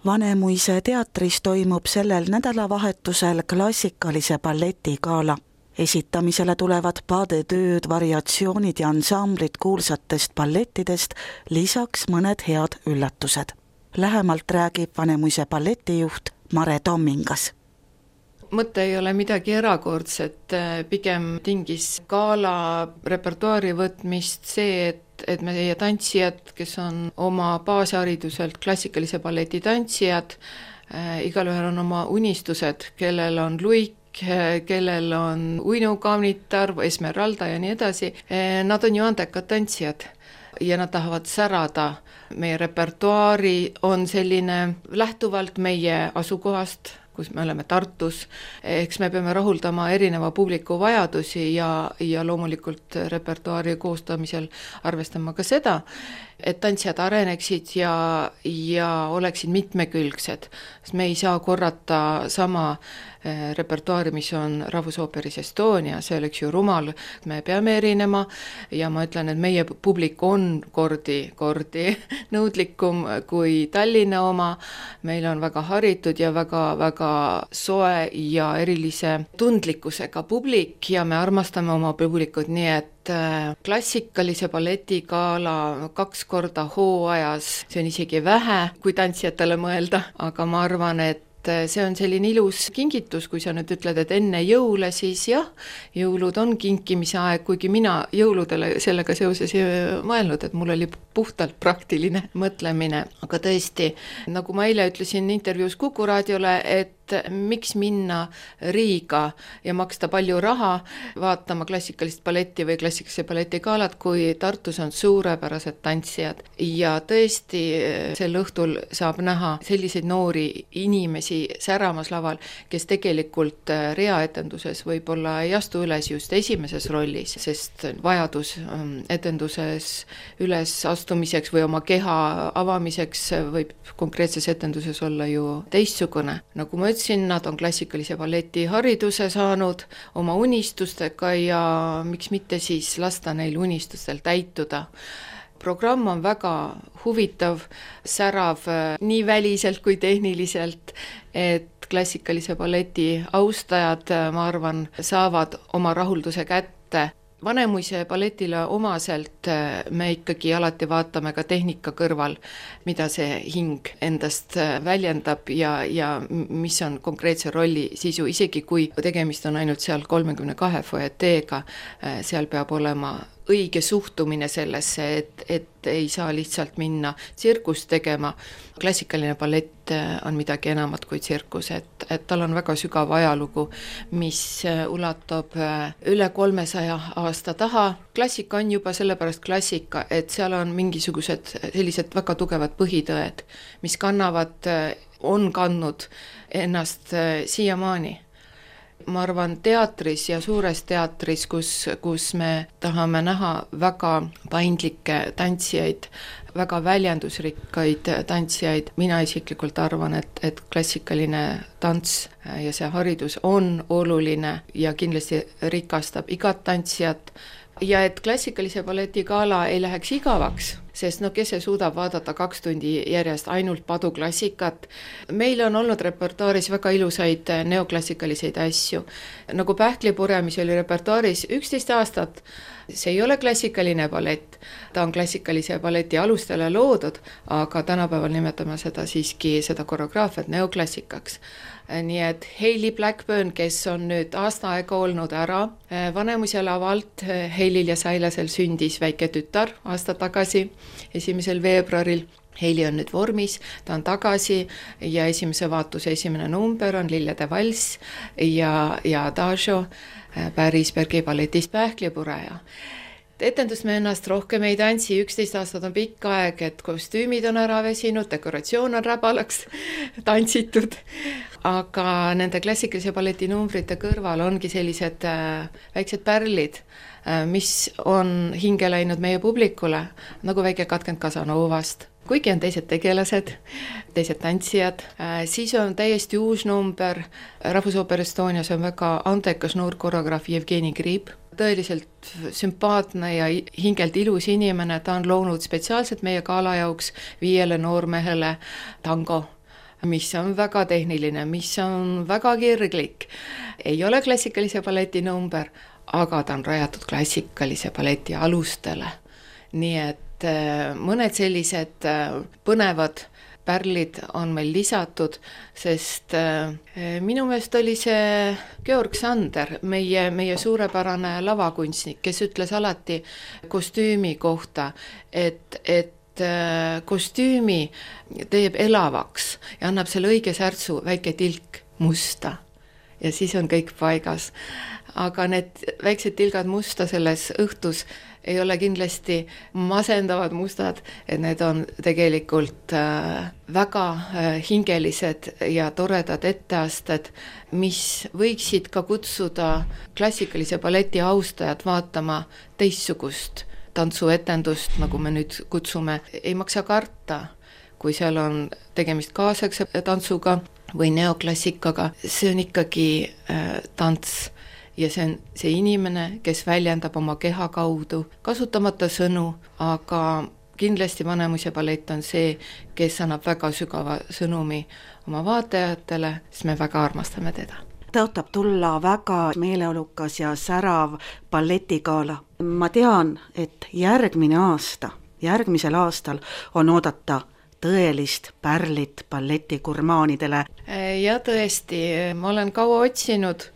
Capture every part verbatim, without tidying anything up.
Vanemuise teatris toimub sellel nädalavahetusel klassikalise balletigala. Esitamisele tulevad paadetööd, variatsioonid ja ansamblid kuulsatest ballettidest, lisaks mõned head üllatused. Lähemalt räägib Vanemuise balletijuht Mare Tommingas. Mõte ei ole midagi erakordset, pigem tingis gala repertuaari võtmist see, et et meie tantsijad, kes on oma baashariduselt klassikalise balleti tantsijad, äh, igalühel on oma unistused, kellel on luik, kellel on uinukaunitar, esmeralda ja nii edasi. Nad on ju andekad tantsijad ja nad tahavad särada. Meie repertuaari on selline lähtuvalt meie asukohast, kus me oleme Tartus, eks me peame rahuldama erineva publiku vajadusi ja, ja loomulikult repertuaari koostamisel arvestama ka seda, et tantsijad areneksid ja, ja oleksid mitmekülgsed. Me ei saa korrata sama repertuaari, mis on Rahvusooperis Estonia, see oleks ju rumal, me peame erinema ja ma ütlen, et meie publik on kordi, kordi nõudlikum kui Tallinna oma, meil on väga haritud ja väga, väga soe ja erilise tundlikkusega publik ja me armastame oma publikut, nii et klassikalise balletigala kaks korda hooajas, see on isegi vähe, kui tantsijatele mõelda, aga ma arvan, et see on selline ilus kingitus, kui sa nüüd ütled, et enne jõule, siis jah, jõulud on kinkimise aeg, kuigi mina jõuludele sellega seoses ei mõelnud, et mul oli puhtalt praktiline mõtlemine, aga tõesti, nagu ma eile ütlesin intervjuus Kuku raadiole, et miks minna Riiga ja maksta palju raha vaatama klassikalist balletti või klassikalise balletigaalat, kui Tartus on suurepärased tantsijad. Ja tõesti, sel õhtul saab näha selliseid noori inimesi säramas laval, kes tegelikult reaetenduses võib-olla ei astu üles just esimeses rollis, sest vajadus etenduses üles astumiseks või oma keha avamiseks võib konkreetses etenduses olla ju teistsugune. Nagu ma ütlesin, nad on klassikalise balleti hariduse saanud oma unistustega ja miks mitte siis lasta neil unistustel täituda. Programm on väga huvitav, särav nii väliselt kui tehniliselt, et klassikalise balleti austajad, ma arvan, saavad oma rahulduse kätte. Vanemuise balletile omaselt me ikkagi alati vaatame ka tehnika kõrval, mida see hing endast väljendab ja, ja mis on konkreetse rolli sisu, isegi kui tegemist on ainult seal kolmekümne kahe foeteega, seal peab olema õige suhtumine sellesse, et, et ei saa lihtsalt minna tsirkust tegema. Klassikaline ballett on midagi enamat kui tsirkus, et, et tal on väga sügav ajalugu, mis ulatub üle kolmesaja aasta taha. Klassika on juba sellepärast klassika, et seal on mingisugused sellised väga tugevad põhitõed, mis kannavad, on kandnud ennast siiamaani. Ma arvan, teatris ja suures teatris, kus, kus me tahame näha väga paindlikke tantsijaid, väga väljendusrikkaid tantsijaid. Mina isiklikult arvan, et, et klassikaline tants ja see haridus on oluline ja kindlasti rikastab igat tantsijat. Ja et klassikalise balletigala ei läheks igavaks, sest no kes see suudab vaadata kaks tundi järjest ainult paduklassikat. Meil on olnud repertuaaris väga ilusaid neoklassikaliseid asju. Nagu Pähklipure, mis oli repertuaaris üksteist aastat, see ei ole klassikaline ballett. Ta on klassikalise balleti alustele loodud, aga tänapäeval nimetame seda siiski seda koreograafiat neoklassikaks. Nii et Hayley Blackburn, kes on nüüd aasta aega olnud ära Vanemuise lavalt, Hayleyl ja Sailasel sündis väike tütar aasta tagasi, esimesel veebruaril. Hayley on nüüd vormis, ta on tagasi ja esimese vaatuse esimene number on Lillede valss ja, ja Adagio Pärisbergi balletist Pähklipuraja. Etendust me ennast rohkem ei tantsi, üksteist aastat on pikk aeg, et kostüümid on ära vesinud, dekoratsioon on räbalaks tantsitud, aga nende klassikalise balleti numbrite kõrval ongi sellised äh, väiksed pärlid, äh, mis on hinge läinud meie publikule, nagu väike katkend Casanovast. Kuigi on teised tegelased, teised tantsijad, äh, siis on täiesti uus number. Rahvusooper Estonia, see on väga andekas noor koreograaf Jevgeni Grib. Tõeliselt sümpaatne ja hingelt ilus inimene, ta on loonud spetsiaalselt meie gala jauks viiele noormehele tango mis on väga tehniline, mis on väga kirglik. Ei ole klassikalise balleti number, aga ta on rajatud klassikalise balleti alustele. Nii et mõned sellised põnevad pärlid on meil lisatud, sest minu meelest oli see Georg Sander, meie, meie suurepärane lavakunstnik, kes ütles alati kostüümi kohta, et, et kostüümi teeb elavaks ja annab selle õige särtsu, väike tilk musta ja siis on kõik paigas. Aga need väiksed tilgad musta selles õhtus ei ole kindlasti masendavad mustad, et need on tegelikult väga hingelised ja toredad etteasted, mis võiksid ka kutsuda klassikalise balleti austajad vaatama teistsugust tantsuetendust, nagu me nüüd kutsume. Ei maksa karta, kui seal on tegemist kaasaegse tantsuga või neoklassikaga, see on ikkagi tants. Ja see on see inimene, kes väljendab oma keha kaudu, kasutamata sõnu, aga kindlasti Vanemuise ballett on see, kes annab väga sügava sõnumi oma vaatajatele, sest me väga armastame teda. Tõotab tulla väga meeleolukas ja särav balletigala. Ma tean, et järgmine aasta, järgmisel aastal on oodata tõelist pärlit balletigurmaanidele. Ja tõesti, ma olen kaua otsinud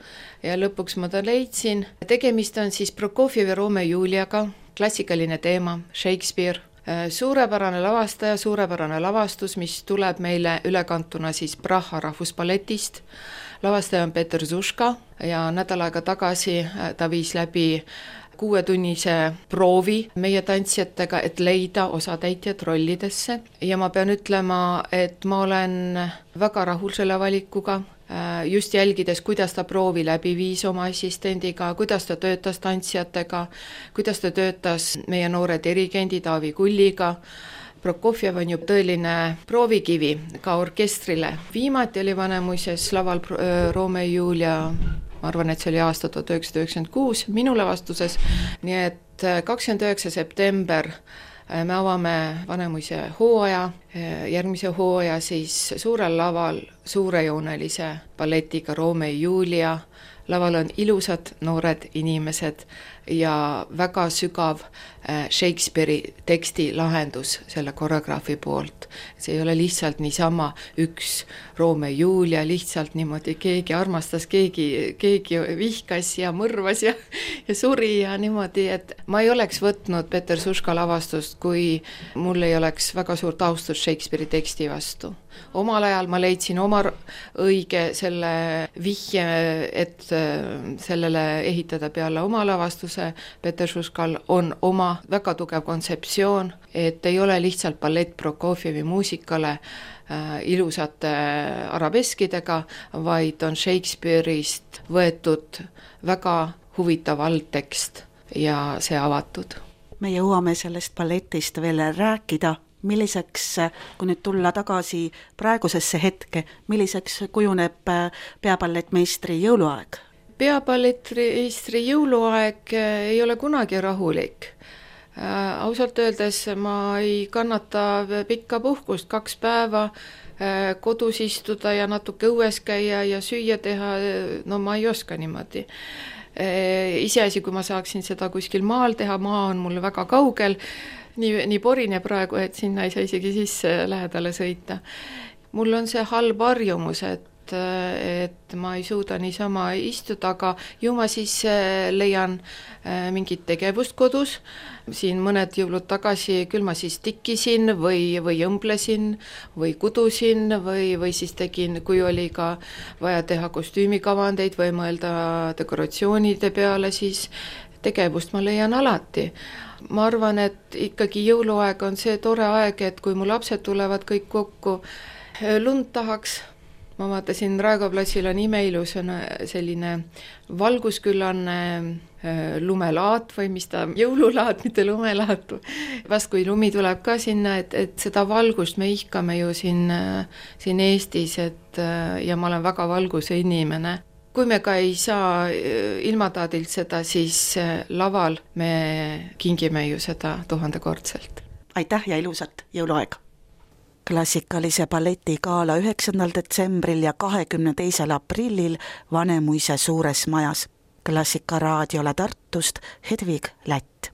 ja lõpuks ma ta leidsin. Tegemist on siis Prokofjevi Romeo ja Juliaga, klassikaline teema, Shakespeare. Suurepärane lavastaja, suurepärane lavastus, mis tuleb meile ülekantuna siis Praha rahvusballetist. Lavastaja on Peter Zuška ja nädal aega tagasi ta viis läbi kuuetunnise proovi meie tantsijatega, et leida osatäitjad rollidesse. Ja ma pean ütlema, et ma olen väga rahul selle valikuga, just jälgides, kuidas ta proovi läbi viis oma assistendiga, kuidas ta töötas tantsijatega, kuidas ta töötas meie noore dirigendi Taavi Kulliga. Prokofjev on ju tõeline proovikivi ka orkestrile. Viimati oli Vanemuises laval Romeo ja Julia, ma arvan, et see oli aasta tuhat üheksasada üheksakümmend kuus minu lavastuses, nii et kakskümmend üheksa september me avame Vanemuise hooaja, järgmise hooaja siis suurel laval suurejoonelise balletiga Romeo ja Julia. Laval on ilusad noored inimesed ja väga sügav Shakespeare'i teksti lahendus selle koreograafi poolt. See ei ole lihtsalt niisama üks Romeo ja Julia, lihtsalt niimoodi keegi armastas, keegi, keegi vihkas ja mõrvas ja, ja suri ja niimoodi, et ma ei oleks võtnud Peter Zuška lavastust, kui mul ei oleks väga suurt austus Shakespeare'i teksti vastu. Omal ajal ma leidsin oma õige selle vihje, et sellele ehitada peale oma lavastuse. Peter Zuškal on oma väga tugev kontseptsioon, et ei ole lihtsalt ballett Prokofjevi muusikale äh, ilusate arabeskidega, vaid on Shakespeare'ist võetud väga huvitav altekst ja see avatud. Me jõuame sellest balletist veel rääkida. Milliseks, kui nüüd tulla tagasi praegusesse hetke, milliseks kujuneb peaballetmeistri jõuluaeg? Peaballetmeistri jõuluaeg ei ole kunagi rahulik. Ausalt öeldes ma ei kannata pikka puhkust, kaks päeva kodus istuda ja natuke õues käia ja süüa teha, no ma ei oska niimoodi. Iseasi, kui ma saaksin seda kuskil maal teha, maa on mul väga kaugel, nii, nii porine praegu, et sinna ei saa isegi sisse lähedale sõita. Mul on see halb harjumus, et, et ma ei suuda niisama istuda, aga ju ma siis leian mingit tegevust kodus. Siin mõned jõulud tagasi küll ma siis tikkisin või, või õmblesin või kudusin või, või siis tegin, kui oli ka vaja teha kostüümikavandeid või mõelda dekoratsioonide peale, siis tegevust ma leian alati. Ma arvan, et ikkagi jõuluaeg on see tore aeg, et kui mu lapsed tulevad kõik kokku, lund tahaks. Ma vaatasin, Raekoja platsil on imeilus selline valgusküllanne lumelaat või mis ta, jõululaat, mitte lumelaat. Vast kui lumi tuleb ka sinna, et, et seda valgust me ihkame ju siin, siin Eestis, et, ja ma olen väga valguse inimene. Kui me ka ei saa ilmataadilt seda, siis laval me kingime ju seda tuhandekordselt. Aitäh ja ilusat jõuluaega! klassikalise balletigala üheksandal detsembril ja kahekümne teisel aprillil Vanemuise suures majas. Klassikaraadiole Tartust Hedvig Lätt.